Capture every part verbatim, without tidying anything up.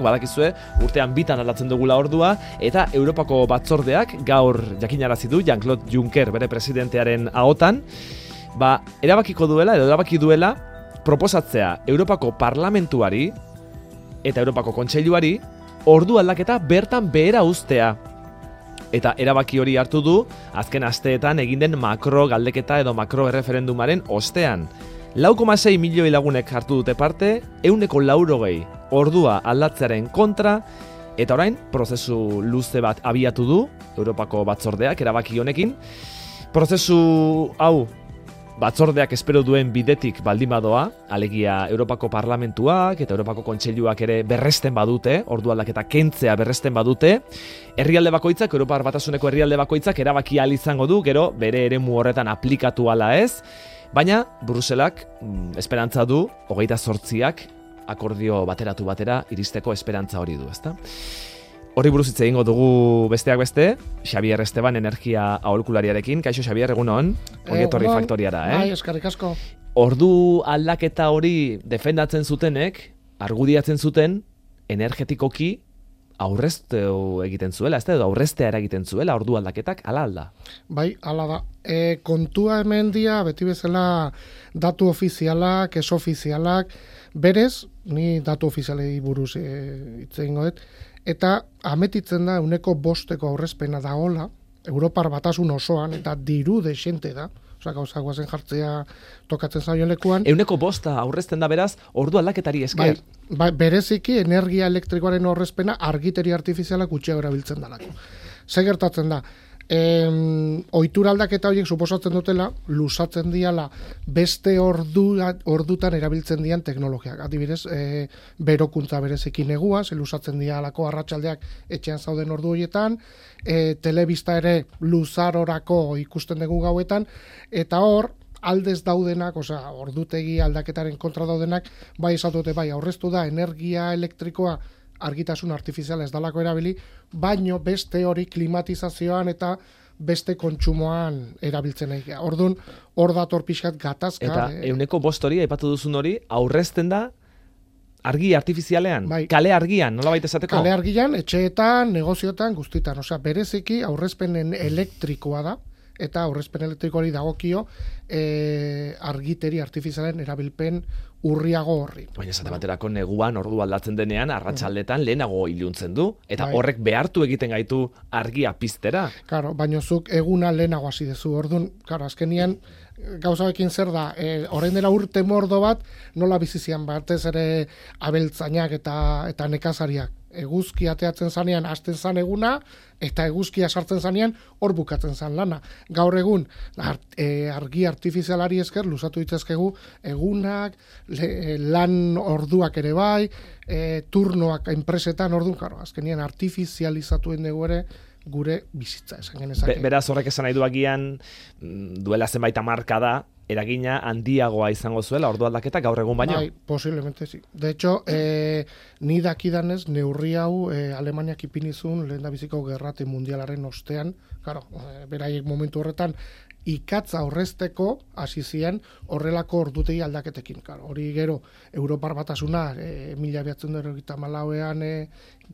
Badakizue, urtean bitan aldatzen dugula ordua, eta Europako batzordeak gaur jakinarazi du Jean-Claude Juncker bere presidentearen ahotan, ba, erabakiko duela, edo erabaki duela, proposatzea Europako Parlamentuari eta Europako Kontseiluari ordu aldaketa bertan behera uztea. Eta erabaki hori hartu du, azken asteetan egin den makro galdeketa edo makro erreferendumaren ostean. lau koma sei milioi lagunek hartu dute parte, ehuneko laurogei ordua aldatzearen kontra, eta orain prozesu luze bat abiatu du Europako batzordeak erabaki honekin. Prozesu hau batzordeak espero duen bidetik baldin badoa, alegia Europako Parlamentuak eta Europako Kontseiluak ere berresten badute, ordu aldaketa kentzea berresten badute, herrialde bakoitzak, Europar Batasuneko herrialde bakoitzak erabaki ahal izango du, gero bere eremu horretan aplikatu ala ez, baina Bruselak mm, esperantza du, hogeita zortziak akordio bateratu batera iristeko esperantza hori du, ezta? Horri buruz hitz egingo dugu besteak beste, Xabier Esteban energia aholkulariarekin. Kaixo Xabier, egunon, ongi etorri Eh, faktoriara, eh? Bai, eskerrik asko. Ordu aldaketa hori defendatzen zutenek, argudiatzen zuten energetikoki aurreztu egiten zuela, ez da, edo aurreztea eragiten zuela ordu aldaketak, ala alda. Bai, hala da. E, kontua hemen dia, beti bezala datu ofizialak, ez ofizialak, berez, ni datu ofizialei buruz e, hitz egingo dut, eta ametitzen da uneko bosteko aurrezpena dagola, Europar Batasun osoan, eta diru desente da, osea, gauza guazen jartzea tokatzen zaion lekuan. Euneko bosta aurrezten da beraz, ordu aldaketari esker. Bai, bai, bereziki energia elektrikoaren aurrezpena argiteri artifizialak gutxiago erabiltzen dalako. Ze gertatzen da? Em, ohitura aldaketa horiek suposatzen dutela, lusatzen diala beste ordu, ordutan erabiltzen dian teknologiak. Adibidez, e, berokuntza bereziki negua, ze lusatzen dialako arratsaldeak etxean zauden ordu horietan, e, telebista ere luzarorako ikusten dugu gauetan, eta hor, aldez daudenak, osea, ordutegi aldaketaren kontra daudenak, bai esatute, bai, aurreztu da energia elektrikoa argitasun artifiziala ez dalako erabili, baino beste hori klimatizazioan eta beste kontsumoan erabiltzen egia. Orduan, hor dator pixkat gatazka. Eta e, euneko bost hori, aipatu duzun hori, aurrezten da argi artifizialean, Bai. kale argian, nolabait esateko? kale argian, etxeetan, negozioetan, guztitan. Osea, bereziki aurrezpenen elektrikoa da, eta aurrezpen elektrikoari dagokio e, argiteri artifizialen erabilpen urriago horri. Baina esate baterako neguan ordu aldatzen denean, arratsaldetan lehenago iluntzen du, eta Bai. horrek behartu egiten gaitu argia piztera. Claro, baina zuk eguna lehenago hasi dezu. Orduan, claro, azkenian gauzaekin zer da, e, orain dela urte mordo bat, nola bizizian batez ere abeltzainak eta eta nekazariak. Eguzki ateatzen zanean hasten zan eguna, eta eguzkia sartzen zanean hor bukatzen zan lana. Gaur egun, art, e, argi artifizialari esker, luzatu ditzazkegu egunak, le, lan orduak ere bai, e, turnoak enpresetan, orduan, claro, azkenian artifizializatuen dugu ere, gure bizitza esan genezake. Be, beraz horrek esan nahi du agian, mm, duela zenbait hamarkada, eragina handiagoa izango zuela ordu aldaketa gaur egun baino. Bai, posiblemente sí. De hecho, eh, ni dakidanez neurri hau eh, Alemaniak ipinizun lehen da biziko gerrate mundialaren ostean, claro, eh, beraiek momentu horretan ikatza aurrezteko hasi ziren horrelako ordutegi aldaketekin. Claro, hori gero Europar Batasuna e, mila bederatziehun eta hirurogeita hamalauean e,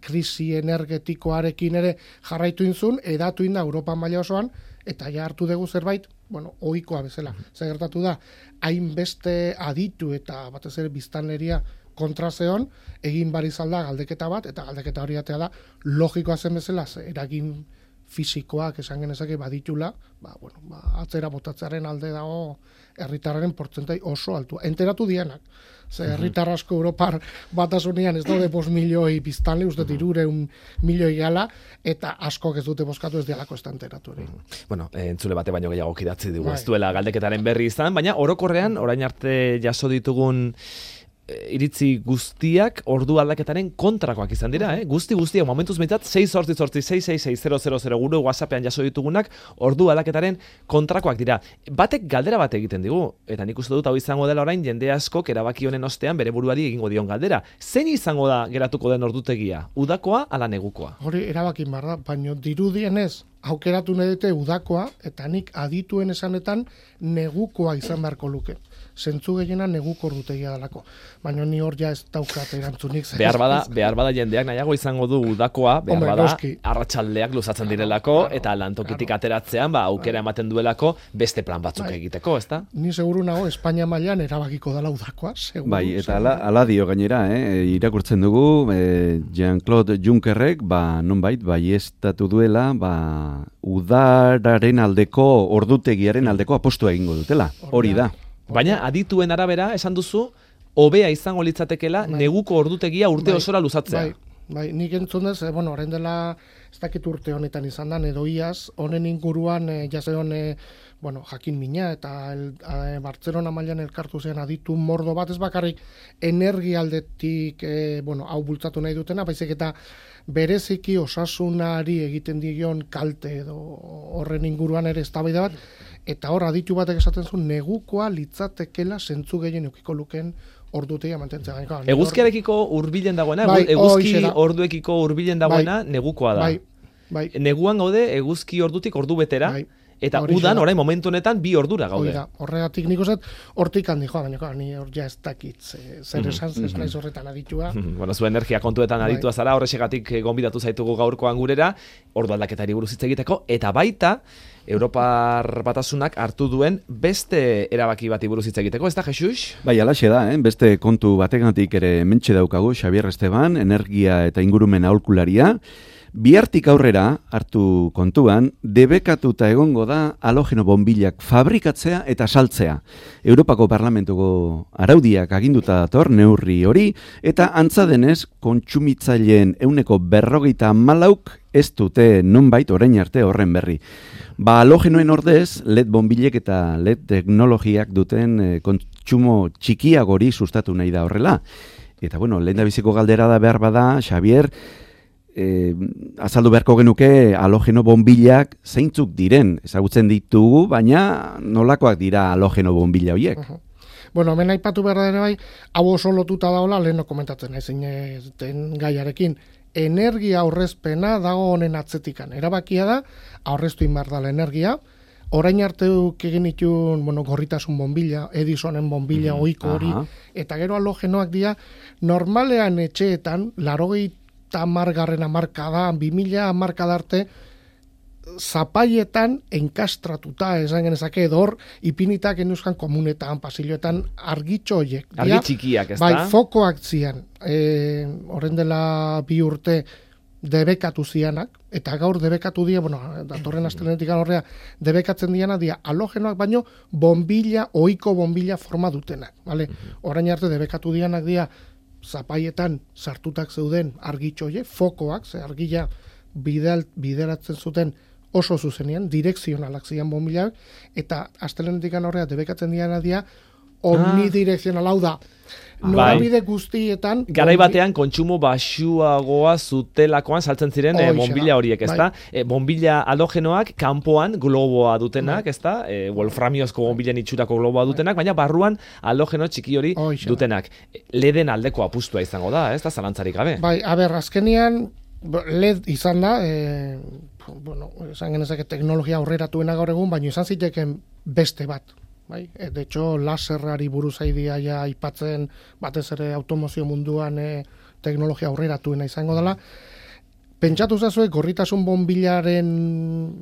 krisi energetikoarekin ere jarraitu inzun, edatu inda Europa maila osoan, eta ja hartu dugu zerbait, bueno, ohikoa bezala. Zer gertatu da, hainbeste aditu eta batez ere biztanleria kontra zeon, egin barizalda galdeketa bat, eta galdeketa hori atea da, logikoa zen bezala, ze eragin fisikoak esan genezake baditula, ba, bueno, ba, atzera botatzearen alde dago herritarraren portzentai oso altua. Enteratu dianak. Ze herritar asko Europar Batasunean ez daude bost milioi biztanle, uste hirureun milioi gala, eta askok ez dute bozkatu ez dialako ez da enteratu ere. Bueno, eh, entzule bate baino gehiago kidatzi dugu, Bai. ez duela galdeketaren berri izan, baina orokorrean, orain arte jaso ditugun iritzi guztiak ordu aldaketaren kontrakoak izan dira, eh? Guzti guztiak, momentuz behintzat, sei zortzi zortzi sei sei sei zero zero zero gure WhatsAppean jaso ditugunak ordu aldaketaren kontrakoak dira. Batek galdera bat egiten digu, eta nik uste dut hau izango dela orain jende askok erabaki honen ostean bere buruari egingo dion galdera. Zein izango da geratuko den ordutegia? Udakoa ala negukoa? Hori erabakin bar da, baina dirudienez aukeratu nahi dute udakoa, eta nik adituen esanetan negukoa izan beharko luke. zentzu gehiena neguko ordutegia dalako. Baina ni hor ja ez daukat erantzunik. Behar bada, behar bada jendeak nahiago izango du udakoa, behar Hombre, bada noski. arratsaldeak luzatzen direlako, Claro, eta lantokitik claro. ateratzean, ba, aukera ematen duelako beste plan batzuk Bai. egiteko, ezta? Ni seguru nago Espainia mailan erabakiko dela udakoa, seguru. Bai, eta seguru. ala, ala dio gainera, eh? irakurtzen dugu, eh, Jean-Claude Junckerrek, ba, nonbait, baieztatu duela, ba, udararen aldeko, ordutegiaren aldeko apostua egingo dutela, hori da. Baina adituen arabera, esan duzu, hobea izango litzatekela Bai. neguko ordutegia urte Bai, osora luzatzea. Bai, bai, nik entzun dez, eh, bueno, orain dela ez dakit urte honetan izan da, edo iaz, honen inguruan eh, jaseon, eh, bueno, jakin mina, eta el, eh, Bartzelona mailan elkartu zen aditu mordo bat, ez bakarrik energialdetik, eh, bueno, hau bultzatu nahi dutena, baizik eta bereziki osasunari egiten dion kalte edo horren inguruan ere eztabaida bat, eta hor aditu batek esaten zuen negukoa litzatekela zentzu gehien eukiko luken ordutegia mantentzea. Gainera, nik hor- Eguzkiarekiko hurbilen dagoena, Bai, eguzki horixe da. orduekiko hurbilen dagoena negukoa da. Bai, bai. Neguan gaude eguzki ordutik ordu betera, Bai. eta Horixe udan da. orain momentu honetan bi ordura Hoi gaude. da, horregatik nik uste, hortik handi joa, baina claro, ni hor ja ez dakit, ze- zer esan, ez naiz horretan aditua. Bueno, zu energia kontuetan Bai. aditua zara, horrexegatik eh, gonbidatu zaitugu gaurkoan gurera, ordu aldaketari buruz hitz egiteko, eta baita Europar Batasunak hartu duen beste erabaki bati buruz hitz egiteko, ez da, Jesus? Bai, alaxe da, eh? beste kontu bategatik ere mentxe daukagu Xabier Esteban, energia eta ingurumen aholkularia. Bihartik aurrera hartu kontuan, debekatuta egongo da halogeno bonbilak fabrikatzea eta saltzea. Europako Parlamentuko araudiak aginduta dator neurri hori, eta antza denez kontsumitzaileen ehuneko berrogeita hamalauk ez dute nonbait orain arte horren berri. Ba, halogenoen ordez, L E D bonbilek eta L E D teknologiak duten eh, kontsumo txikiagori sustatu nahi da horrela. Eta bueno, lehendabiziko galdera da behar bada, Xabier, eh, azaldu beharko genuke halogeno bonbilak zeintzuk diren, ezagutzen ditugu, baina nolakoak dira halogeno bonbila horiek. Bueno, hemen aipatu behar da ere bai, hau oso lotuta daola, lehen komentatzen naizen den gaiarekin. Energia aurrezpena dago honen atzetikan. Erabakia da, aurreztu inbar dala energia, orain arte egin itun, bueno, gorritasun bonbila, Edisonen bonbila, Mhm, ohiko hori, aha. eta gero halogenoak dira, normalean etxeetan, larogeita margarren amarkada, bi mila amarkada arte, zapaietan enkastratuta, esan genezake, edo hor, ipinitak enuzkan komunetan, pasilloetan, argitxo horiek. Argi Dira, txikiak, ez bai, da? fokoak zian, e, horren dela bi urte debekatu zianak, eta gaur debekatu dira, bueno, datorren astelenetik horrea, debekatzen diana dira halogenoak baino bombilla, ohiko bombilla forma dutenak, vale? Orain arte debekatu dianak dira zapaietan sartutak zeuden argitxo horiek, fokoak, ze argia bidal, bideratzen zuten oso zuzenean, direkzionalak zian bombillak, eta astelenetik horrea debekatzen diana dira omnidirekzional, hau da, norabide guztietan... Garai batean kontsumo baxuagoa zutelakoan saltzen ziren eh, Hoxe da, bombilla horiek, ez bai. da? Eh, bombilla halogenoak kanpoan globoa dutenak, ez da? Eh, wolframiozko bombillen itxurako globoa dutenak, baina barruan halogeno txiki hori Hoxe da. dutenak. Leden aldeko apustua izango da, ez da? Zalantzarik gabe. Bai, a ber, azkenian L E D izan da, e, bueno, esan genezake teknologia aurreratuena gaur egun, baina izan ziteken beste bat. Bai? E, de hecho, laserrari buruz aidia ja aipatzen batez ere automozio munduan e, teknologia aurreratuena izango dela. Pentsatu zazue, gorritasun bonbilaren,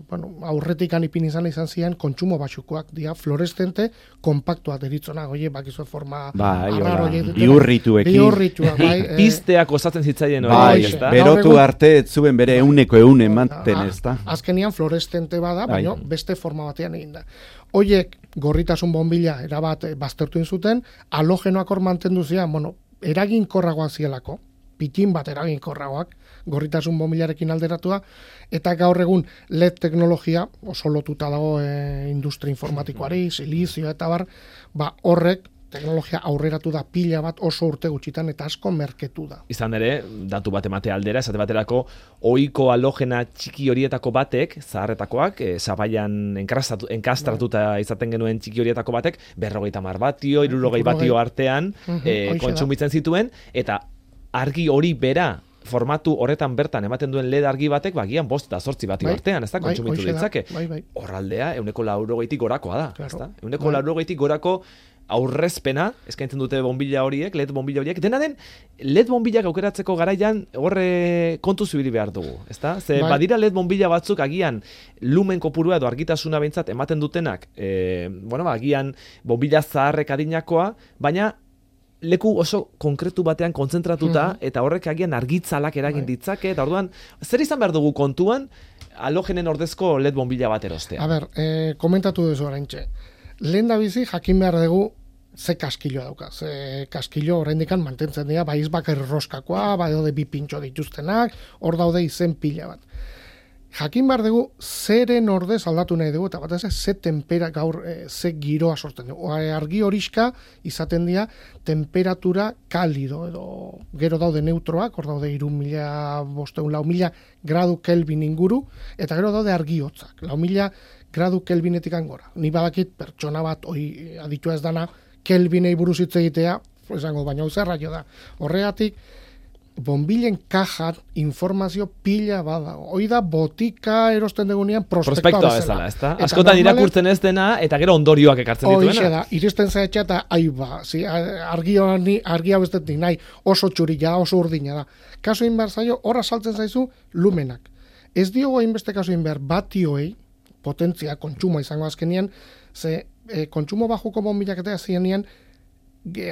bueno, aurretikan ipin izan izan zian, kontsumo baxukoak, dia, fluoreszente, kompaktuak deritzonak, oie, bakizue forma Bai, arraro hola, horiek dutela. bihurrituekin. Bihurrituak, bai. eh, Pizteak osatzen zitzaien hori, Bai, ez da? be- berotu Gaur egun- arte ez zuen bere euneko eun ematen, ez da? Azkenian fluoreszente bada, Bai. baina beste forma batean egin da. Hoiek gorritasun bonbila erabat eh, baztertu egin zuten, halogenoak hor mantendu zian, bueno, eraginkorragoak zielako, pitin bat eraginkorragoak, gorritasun bonbilarekin alderatua, eta gaur egun L E D teknologia, oso lotuta dago e, industria informatikoari, silizio eta bar, ba horrek teknologia aurreratu da pila bat oso urte gutxitan eta asko merketu da. Izan ere, datu bat emate aldera, esate baterako, ohiko halogena txiki horietako batek, zaharretakoak, e, sabaian enkastratu, enkastratuta izaten genuen txiki horietako batek, berrogeita mar batio, hirurogei batio artean Mhm, e, hoxe da. kontsumitzen zituen, eta argi hori bera, formatu horretan bertan ematen duen L E D argi batek, bagian bost eta zortzi batio Bai, artean, ez da, bai, kontsumitu hoxe da, ditzake. bai, bai. Horraldea, euneko laurogeitik gorakoa da, Claro, ez da? Euneko bai. laurogeitik gorako aurrezpena eskaintzen dute bombilla horiek, L E D bombilla horiek. Dena den, L E D bombillak aukeratzeko garaian horre kontu zibili behar dugu, ezta? Ze bai. badira L E D bombilla batzuk agian lumen kopurua edo argitasuna behintzat ematen dutenak, e, bueno, agian bombilla zaharrek adinakoa, baina leku oso konkretu batean kontzentratuta, mm-hmm. eta horrek agian argitzalak eragin ditzake, eta orduan, zer izan behar dugu kontuan, halogenen ordezko L E D bombilla bat erostea? A ber, eh, komentatu duzu oraintxe. Lehen da bizi jakin behar dugu ze kaskilloa dauka. Ze kaskillo oraindikan mantentzen dira, bai izbakar roskakoa, bai daude bi pintxo dituztenak, hor daude izen pila bat. Jakin behar dugu zeren ordez aldatu nahi dugu, eta bat ez ze tempera gaur, e, ze giroa sortzen dugu. Argi horiska izaten dira temperatura kalido, edo gero daude neutroak, hor daude iru mila, bosteun, lau mila gradu Kelvin inguru, eta gero daude argi hotzak, lau mila gradu Kelvinetik angora. Ni badakit pertsona bat, oi aditua ez dana, Kelvinei buruz hitz egitea, esango, baina hau zerra jo da. Horregatik, bombilen kajan informazio pila badago. Hoi da botika erosten degunean prospektoa, prospektoa bezala, ezta? Askotan irakurtzen ez dena eta gero ondorioak ekartzen dituena. Hoixe da, iristen zaitxa eta aiba, zi, argi argi hau ez dut nahi, oso txurila da, oso urdina da. Kaso inbar zaio, horra saltzen zaizu lumenak. Ez diogo hainbeste kaso inbar batioei, potentzia, kontsumo izango azkenean, ze e, kontsumo bajuko bombilak eta zienian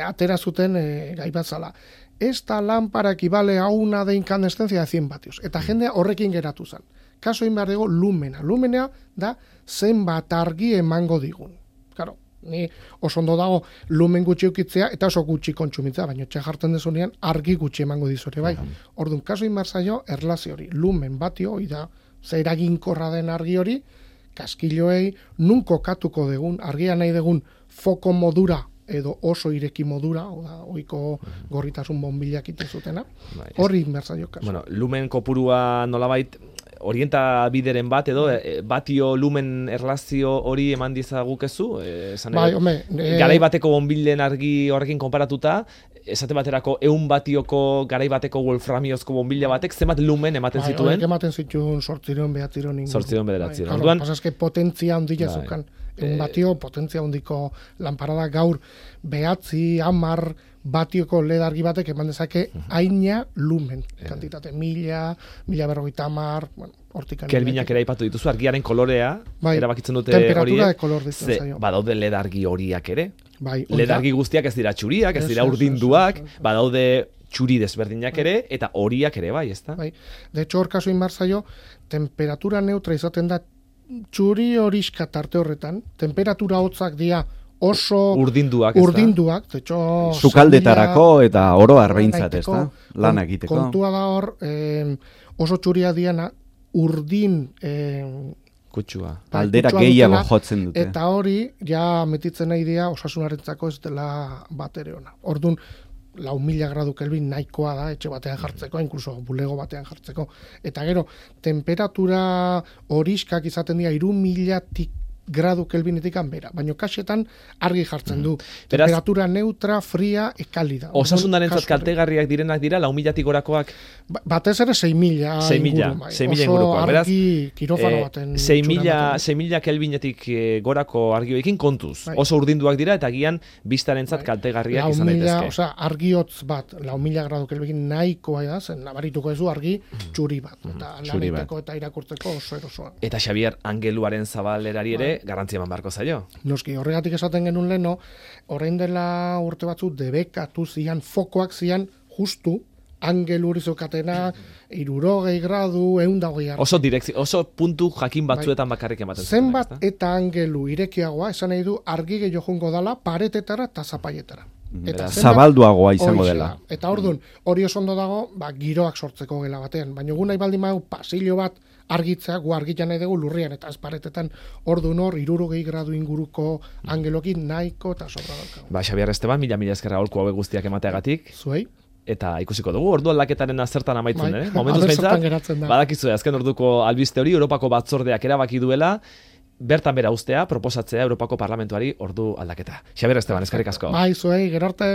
atera zuten e, gai bat zala. Esta lámpara equivale a una de incandescencia de cien vatios. Eta jendea horrekin geratu zen. Kaso egin behar dugu lumena. Lumena da zenbat argi emango digun. Claro, ni oso ondo dago lumen gutxi ukitzea eta oso gutxi kontsumitzea, baina txe jartzen dezunean argi gutxi emango dizore, bai. Orduan, kaso egin behar zaio erlazio hori. Lumen batio, hori da, zer eraginkorra den argi hori, kaskilloei nun kokatuko degun, argia nahi degun foko modura edo oso ireki modura, oda, oiko gorritasun bombilak ite zutena, horri inbertzaio kasu. Bueno, lumen kopurua nolabait orientabideren bat edo e, batio lumen erlazio hori eman dizagukezu, esan bai, ome, e... garai bateko bombilen argi horrekin konparatuta, esate baterako ehun batioko garai bateko wolframiozko bombilla batek zenbat lumen ematen bai, zituen? Bai, ematen zituen sortziron, behatziron inguruan. Sortziron bederatziron. Bai, Orduan, pasazke potentzia ondila bai. Zukan. Un batio potentzia ondiko lanparada gaur behatzi, hamar batioko L E D argi batek eman dezake haina lumen kantitate, mila, mila berrogeita hamar, bueno, hortik. Kelvinak ere aipatu dituzu, argiaren kolorea, bai, erabakitzen dute temperatura de kolor ditzen zaio. Badaude L E D argi horiak ere, bai, L E D argi guztiak ez dira txuriak, ez dira urdinduak, badaude txuri desberdinak ere, eta horiak ere bai, ezta? Bai, de hecho, hor kasu inbar zaio, temperatura neutra izaten da txuri horiska tarte horretan, temperatura hotzak dira oso urdinduak, urdinduak, de hecho, sukaldetarako eta oro arbeintzat, ez da? Lan egiteko. Kontua da hor, eh, oso txuria diana, urdin eh, kutsua. Aldera gehiago jotzen dute. Eta hori, ja metitzen nahi dira osasunarentzako ez dela bat ere ona. Orduan, lau mila gradu Kelvin nahikoa da, etxe batean jartzeko, inkluso bulego batean jartzeko. Eta gero, temperatura horiskak izaten dira, iru milatik gradu Kelvinetik anbera, baina kasetan argi jartzen du. Mm. Temperatura Beraz, neutra, fria, ekalida. Osasunarentzat kaltegarriak direnak dira, lau milatik gorakoak? Ba, batez ere sei mila inguru. sei mila ingurukoak. Oso argi kirofano baten. sei mila Kelvinetik gorako argioekin kontuz. Bai. Oso urdinduak dira eta gian biztarentzat bai. Kaltegarriak lau izan daitezke. Osea, argiotz bat, lau mila gradu Kelvinekin nahikoa da, zen nabarituko ezu argi txuri bat. Eta txuri laneteko eta irakurtzeko oso erosoa. Eta Xabier Angeluaren zabalerari ere, garrantzia eman barko zaio. Noski, horregatik esaten genuen leno, orain dela urte batzu debekatu zian, fokoak zian justu, angelu hori zokatena, irurogei gradu, eundagoi hartu. Oso direkzio, oso puntu jakin batzuetan bai. Bakarrik ematen zuten. Zenbat eta angelu irekiagoa, esan nahi du, argi gehiago jongo dala, paretetara eta zapaietara. Eta zabalduagoa izango dela. Eta orduan, hori oso ondo dago, ba, giroak sortzeko gela batean. Baina gu nahi baldin badu pasillo bat argitzea, gu argitzen nahi dugu lurrian, eta azparetetan orduan hor, irurogei gradu inguruko angelokin nahiko eta sobra daukagu. Ba, Xabier Esteban, mila mila eskerra holku hauek guztiak emateagatik. Zuei. Eta ikusiko dugu, ordu aldaketaren azertan amaitzen, eh? Momentuz behintzat, badakizue, azken orduko albiste hori, Europako batzordeak erabaki duela, bertan bera ustea, proposatzea Europako Parlamentuari ordu aldaketa. Xabier Esteban, eskerrik asko. Bai, zuei, gero arte.